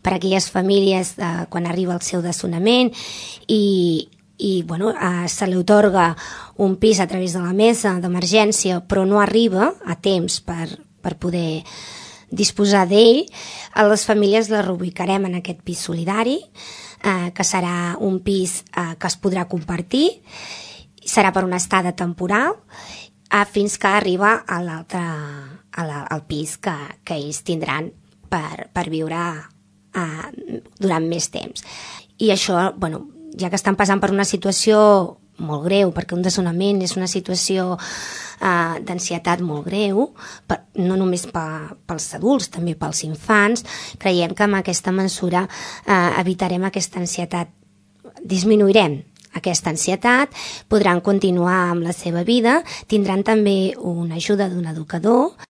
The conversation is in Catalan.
per a aquelles famílies quan arriba el seu desnonament i se li atorga un pis a través de la mesa d'emergència, però no arriba a temps per poder disposar d'ell. A les famílies les reubicarem en aquest pis solidari, que serà un pis que es podrà compartir, serà per una estada temporal fins que arriba al pis que ells tindran per viure durant més temps. I això, ja que estan passant per una situació molt greu, perquè un desnonament és una situació d'ansietat molt greu, no només pels adults, també pels infants, creiem que amb aquesta mesura evitarem aquesta ansietat, disminuirem aquesta ansietat, podran continuar amb la seva vida, tindran també una ajuda d'un educador